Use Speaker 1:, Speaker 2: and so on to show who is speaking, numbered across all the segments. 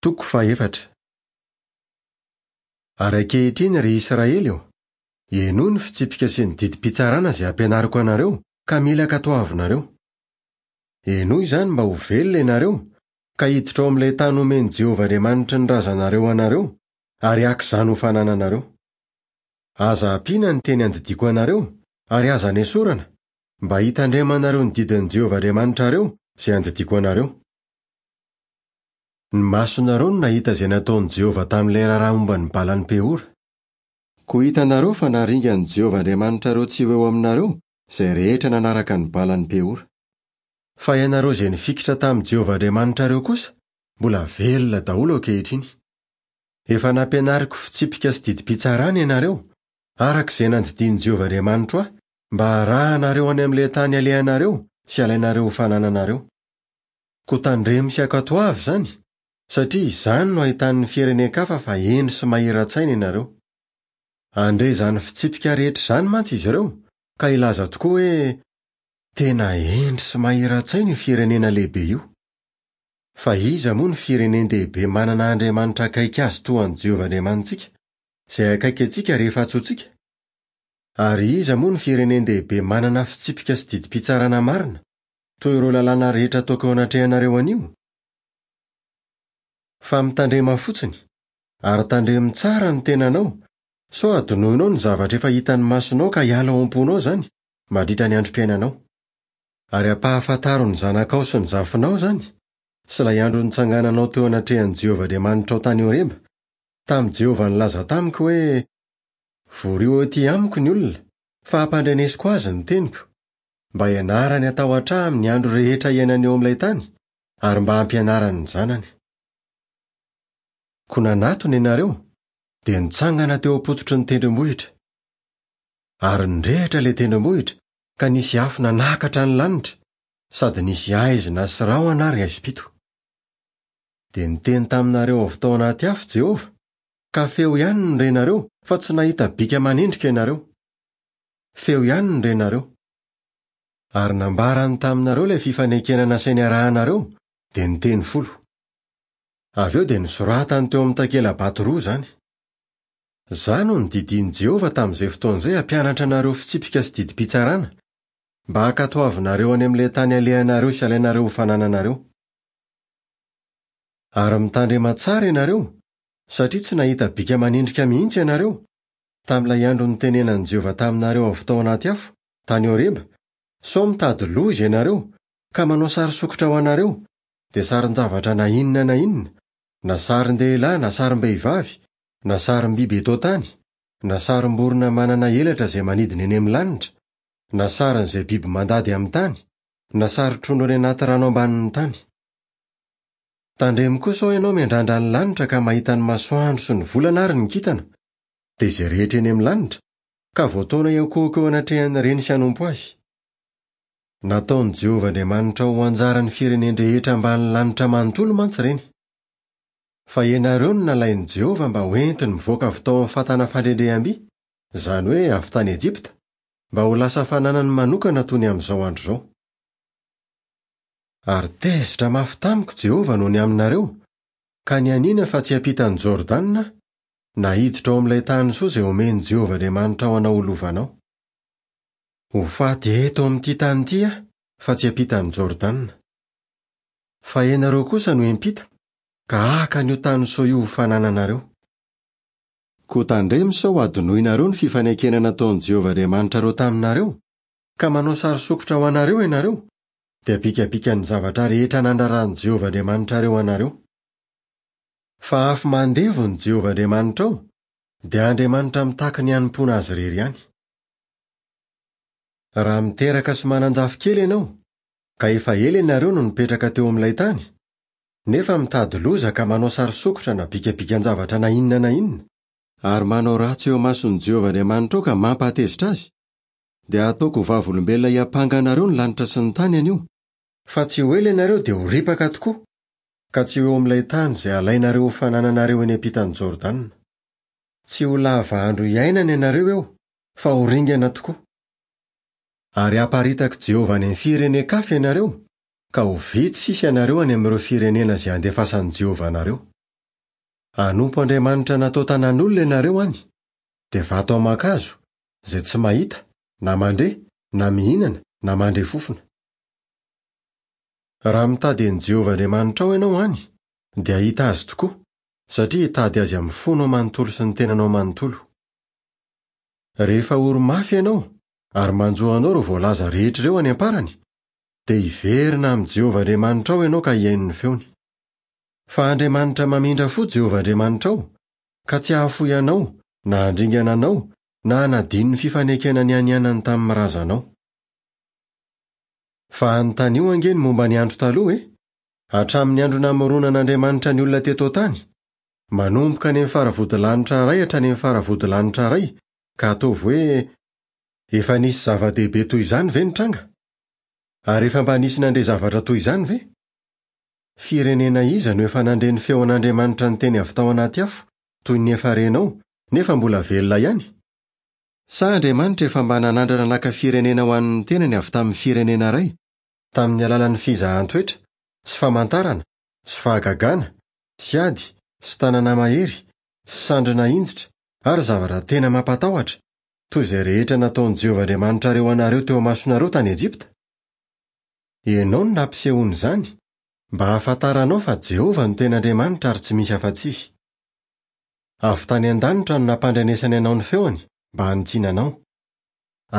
Speaker 1: Toko fahefatra. Ary ankehitriny, ry Israely ô, henoy ny fitsipika sy ny didim-pitsarana izay ampianariko anareo ka mila ankatoavinareo. Henoy izany mba ho velona ianareo, ka hiditra ao amin'ilay tany homen'i Jehovah Andriamanitry ny razanareo anareo, ary haka izany ho fanananareo. Aza ampiana ny teny andidiako anareo, ary aza nesorana, mba hitandremanareo ny didin'i Jehovah Andriamanitrareo izay andidiako anareo. Ny masonareo no nahita izay nataon'i Jehovah tamin'ilay raharaha momba ny balan'i Peora. Koa hitanareo fa naringan'i Jehovah Andriamanitrareo tsy ho eo aminareo izay rehetra nanaraka ny balan'i Peora. Fa ianareo izay nifikitra tamin'i Jehovah Andriamanitrareo kosa, mbola velona daholo ankehitriny. Efa nampianariko fitsipika sy didim-pitsarana ianareo, araka izay nandidian'i Jehovah Andriamanitro ahy, mba harahanareo any amin'ilay tany alehanareo sy alainareo ho fanananareo. Koa tandremo sy ankatoavy izany, satria izany no ahitan'ny firenen-kafa fa hendry sy mahira-tsaina ianareo. Handre izany fitsipika rehetra izany mantsy izy ireo, ka hilaza tokoa hoe, Tena hendry sy mahira-tsaina io firenena lehibe io. Fa iza moa no firenen-dehibe manana Andriamanitra akaiky azy toa an'i Jehovah Andriamanitsika, izay akaiky antsika rehefa antsointsika? Ary iza moa no firenen-dehibe manana fitsipika sy didim-pitsarana marina, toy ireo lalàna rehetra ataoko eo anatrehanareo anio? Fa mitandrema fotsiny, ary tandremo tsara ny tenanao, sao hadinoinao ny zavatra efa hitan'ny masonao ka hiala ao am-ponao izany, mandritra ny androm-piainanao. Ary ampahafantaro ny zanakao sy ny zafinao izany, sy ilay andro nitsangananao teo anatrehan'i Jehovah Andriamanitrao tany Horeba, tamin'i Jehovah nilaza tamiko hoe, Vorio ety amiko ny olona, fa hampandrenesiko azy ny teniko, mba hianarany hatahotra ahy amin'ny andro rehetra iainany eo amin'ilay tany, ary mba hampianarany ny zanany. Koa nanatona ianareo, dia nitsangana teo am-pototry ny tendrombohitra. Ary nirehitra ilay tendrombohitra, ka nisy afo nanakatra ny lanitra, sady nisy haizina sy rahona ary haizim-pito. Dia niteny taminareo avy tao anaty afo Jehovah, ka feo ihany no renareo, fa tsy nahita bika aman'endrika ianareo. Feo ihany no renareo. Ary nambarany taminareo ilay fifanekena nasainy harahanareo, dia ny teny folo. Avy eo dia nosoratany teo amin'ny takela-bato roa izany. Izaho no nodidian'i Jehovah tamin'izay fotoana izay hampianatra anareo fitsipika sy didim-pitsarana, mba hankatoavinareo any amin'ilay tany alehanareo sy alainareo ho fanananareo. Ary mitandrema tsara ianareo, satria tsy nahita bika aman'endrika mihitsy ianareo, tamin'ilay andro nitenenan'i Jehovah taminareo avy tao anaty afo, tany Horeba, sao mitady loza ianareo, ka manao sary sokitra ho anareo, dia sarin-javatra na inona na inona, na sarin-dehilahy na sarim-behivavy, na sarim-biby eto an-tany, na sarim-borona manana elatra izay manidina eny amin'ny lanitra, na sarin'izay biby mandady amin'ny tany, na sarin-trondro any anaty rano ambanin'ny tany. Tandremo koa sao ianao miandrandra ny lanitra ka mahita ny masoandro sy ny volana ary ny kintana, dia izay rehetra eny amin'ny lanitra, ka voataona hiankohoka eo anatrehan'ireny sy hanompo azy. Nataon'i Jehovah Andriamanitrao ho anjaran'ny firenen-drehetra ambany lanitra manontolo mantsy ireny. Fa ianareo no nalain'i Jehovah mba hoentiny mivoaka avy tao amin'ny fatana fandrendreham-by, izany hoe avy tany Ejipta, mba ho lasa fananany manokana toy ny amin'izao andro izao. Ary tezitra mafy tamiko Jehovah noho ny aminareo, ka nianiana fa tsy hiampita an'i Jordana aho, na hiditra ao amin'ilay tany soa izay omen'i Jehovah Andriamanitrao anao ho lovanao. Ho faty eto amin'ity tany ity aho, fa tsy hiampita an'i Jordana. Fa ianareo kosa no hiampita, ka haka an'io tany soa io ho fanananareo. Koa tandremo sao hadinoinareo ny fifanekena nataon'i Jehovah Andriamanitrareo taminareo, ka manao sary sokitra ho anareo ianareo, dia bikabikan'ny zavatra rehetra nandraran'i Jehovah Andriamanitrareo anareo. Fa afo mandevona i Jehovah Andriamanitrao, dia Andriamanitra mitaky ny hanompoana azy irery ihany. Raha miteraka sy manan-jafikely ianao, ka efa ela ianareo no nipetraka teo amin'ilay tany, nefa mitady loza ka manao sary sokitra na bikabikan-javatra na inona na inona, ary manao ratsy eo imason'i Jehovah Andriamanitrao ka mampahatezitra azy, dia hataoko ho vavolombelona hiampanga anareo ny lanitra sy ny tany anio, fa tsy ho ela ianareo dia ho ripaka tokoa, ka tsy ho eo amin'ilay tany izay halainareo ho fanananareo eny ampitan'i Jordana. Tsy ho lava andro hiainana ianareo eo, fa ho ringana tokoa. Ary haparitak'i Jehovah any amin'ny firenen-kafa ianareo, ka ho vitsy sisa ianareo any amin'ireo firenena izay handefasan'i Jehovah anareo. Hanompo andriamanitra natao tanan'olona ianareo any, dia vato aman-kazo, izay tsy mahita, na mandre, na mihinana, na mandre fofona. Raha mitady an'i Jehovah Andriamanitrao ianao any, dia hahita azy tokoa, satria hitady azy amin'ny fonao manontolo sy ny tenanao manontolo. Rehefa ory mafy ianao ary manjo anao ireo voalaza rehetra ireo any am-parany, dia hiverina amin'i Jehovah Andriamanitrao ianao ka hihaino ny feony. Fa Andriamanitra mamindra fo Jehovah Andriamanitrao, ka tsy hahafoy anao na handringana anao na hanadino ny fifanekena nianianany tamin'ny razanao. Fa anontanio ange ny momba ny andro taloha e! Hatramin'ny andro namoronan'Andriamanitra ny olona teto an-tany, manomboka any amin'ny faravodilanitra iray hatrany amin'ny faravodilanitra iray, ka ataovy hoe, Efa nisy zava-dehibe toy izany ve nitranga? Ary efa mba nisy nandre zavatra toy izany ve? Firenena iza no efa nandre ny feon'Andriamanitra niteny avy tao anaty afo, toy ny efa renao, nefa mbola velona ihany? Sa Andriamanitra efa mba nanandrana naka firenena ho an'ny tenany avy tamin'ny firenena iray, tamin'ny alalan'ny fizahan-toetra, sy famantarana, sy fahagagana, sy ady, sy tanana mahery, sy sandry nahinjitra, ary zavatra tena mampatahotra, toy izay rehetra nataon'i Jehovah Andriamanitrareo anareo teo imasonareo tany Ejipta? Ianao no nampisehoany izany, mba hahafantaranao fa Jehovah no tena Andriamanitra ary tsy misy afa-tsy Izy. Avy tany an-danitra no nampandrenesany anao ny feony mba hanitsiana anao.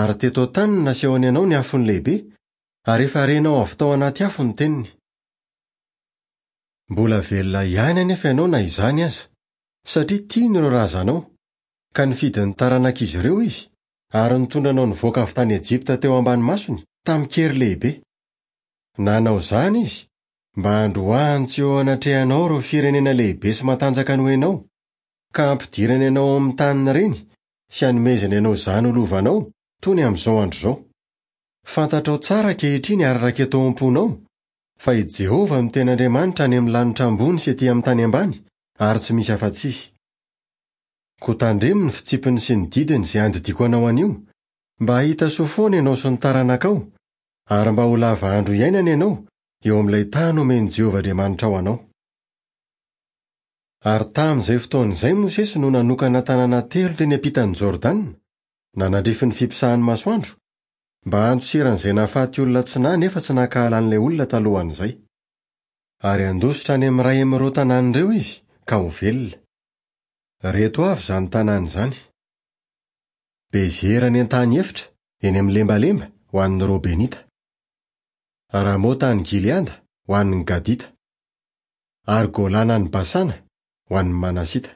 Speaker 1: Ary teto an-tany no nasehony anao ny afony lehibe, ary efa renao avy tao anaty afo ny teniny. Mbola velona ihany anefa ianao na izany aza, satria tiany ireo razanao, ka nifidy ny taranak'izy ireo izy, ary nitondra anao nivoaka avy tany Ejipta teo ambany masony tamin-kery lehibe. Nanao izany izy mba handroahany tsy eo anatrehanao ireo firenena lehibe sy matanjaka noho ianao, ka hampidirany anao ao amin'ny tanin'ireny sy hanomezany anao izany ho lovanao toy ny amin'izao andro izao. Fantatrao tsara ankehitriny ary raketo ao am-ponao fa i Jehovah no tena Andriamanitra any amin'ny lanitra ambony sy etỳ amin'ny tany ambany, ary tsy misy afa-tsy izy. Koa tandremo ny fitsipiny sy ny didiny izay andidiako anao anio, mba hahita soa foana ianao sy ny taranakao, ary mba ho lava andro iainana ianao eo amin'ilay tany omen'i Jehovah Andriamanitrao anao. Ary tamin'izay fotoana izay Mosesy no nanokana tanàna telo teny ampitan'i Jordana, nanandrify ny fipisahan'ny masoandro, mba handosiran'izay nahafaty olona tsy nahy nefa tsy nankahala an'ilay olona talohan'izay. Ary handositra any amin'ny iray amin'ireo tanàna ireo izy, ka ho velona. Ireto avy izany tanàna izany, Bezera any an-tany efitra, eny amin'ny lembalemba, ho an'ny Robenita. Ramota any Gileada, ho an'ny Gadita. Ary Golana any Basana, ho an'ny Manasita.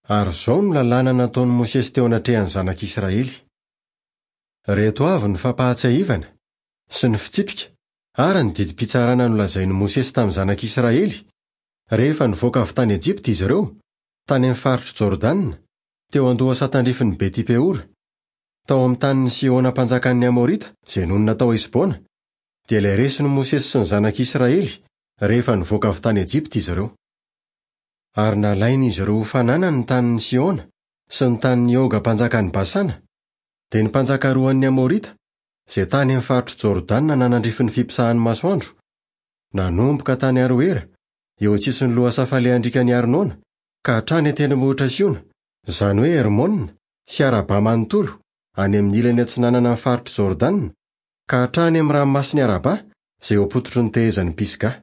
Speaker 1: Ary izao no lalàna nataon'i Mosesy teo anatrehan'ny zanak'Israely. Ireto avy ny fampahatsiahivana, sy ny fitsipika, ary ny didim-pitsarana nolazain'i Mosesy tamin'ny zanak'Israely, rehefa nivoaka avy tany Ejipta izy ireo, tany amin'ny faritr'i Jordana, teo an-dohasaha tandrifin'i Beti-peora, Tao amin'ny tanin'i Sihona mpanjakan'ny Amorita, izay nonina tao Hesbona, dia ilay resin'i Mosesy sy ny zanak'Israely, rehefa nivoaka avy tany Ejipta izy ireo. Ary nalain'izy ireo ho fananany ny tanin'i Sihona sy ny tanin'i Oga mpanjakan'i Basana, dia ny mpanjaka roan'ny Amorita, izay tany amin'ny faritr'i Jordana nanandrify ny fipisahan'ny masoandro, nanomboka tany Aroera, eo an-tsisin'ny lohasaha falehan-driakan'i Arnona, ka hatrany an-tendrombohitra Siona, izany hoe Hermona, sy Arabà manontolo, any amin'ny ilany atsinanana amin'ny faritr'i Jordana, ka hatrany amin'ny ranomasin'i Arabà, izay eo am-pototry ny tehezan'i Pisgah.